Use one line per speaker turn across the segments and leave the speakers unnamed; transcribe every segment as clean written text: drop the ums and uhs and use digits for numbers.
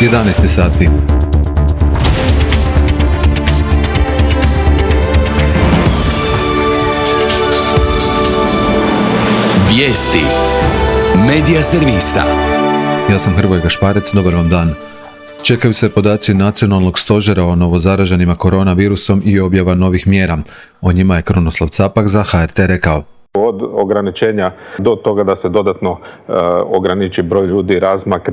11 sati.
Vijesti Medija servisa.
Ja sam Hrvoje Gašparec, dobar vam dan. Čekaju se podaci Nacionalnog stožera o novozaraženima koronavirusom i objava novih mjera. O njima je Krunoslav Capak za HRT rekao.
Od ograničenja do toga da se dodatno ograniči broj ljudi, razmak,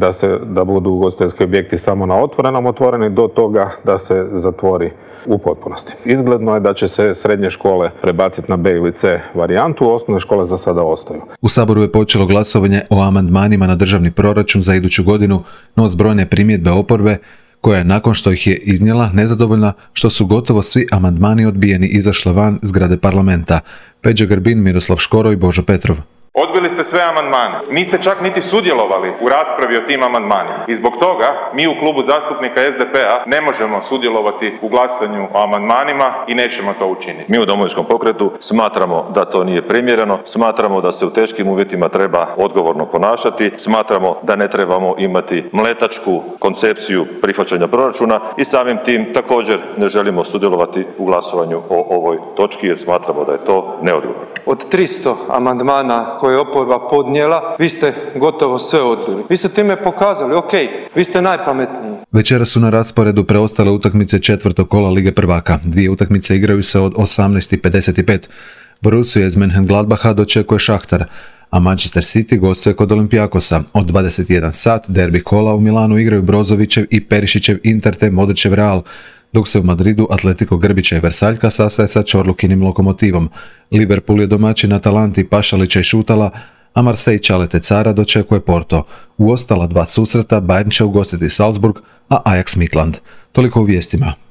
da budu ugostiteljski objekti samo na otvorenom otvoreni, do toga da se zatvori u potpunosti. Izgledno je da će se srednje škole prebaciti na B ili C varijantu, osnovne škole za sada ostaju.
U Saboru je počelo glasovanje o amandmanima na državni proračun za iduću godinu, no s brojne primjedbe oporbe, koja je nakon što ih je iznijela nezadovoljna što su gotovo svi amandmani odbijeni izašla van zgrade parlamenta. Peđa Grbin, Miroslav Škoro i Božo Petrov.
Odbili ste sve amandmane. Niste čak niti sudjelovali u raspravi o tim amandmanima. I zbog toga mi u klubu zastupnika SDP-a ne možemo sudjelovati u glasanju o amandmanima i nećemo to učiniti.
Mi u Domovinskom pokretu smatramo da to nije primjereno, smatramo da se u teškim uvjetima treba odgovorno ponašati, smatramo da ne trebamo imati mletačku koncepciju prihvaćanja proračuna i samim tim također ne želimo sudjelovati u glasovanju o ovoj točki jer smatramo da je to neodgovorno.
Od 300 amandmana koje je oporba podnijela, vi ste gotovo sve odbili. Vi ste time pokazali, vi ste najpametniji.
Večera su na rasporedu preostale utakmice četvrtog kola Lige prvaka. Dvije utakmice igraju se od 18:55. Borussia iz Mönchengladbacha dočekuje Šahtar, a Manchester City gostuje kod Olympiakosa. Od 21 sat derbi kola u Milanu igraju Brozovićev i Perišićev Inter te Modrićev Real, dok se u Madridu Atletico Grbića i Versaljka sastaje sa Čorlukinim Lokomotivom. Liverpool je domaćin Atalanti Pašalića i Šutala, a Marseille Čalete Cara dočekuje Porto. U ostala dva susreta Bayern će ugostiti Salzburg, a Ajax Midland. Toliko u vijestima.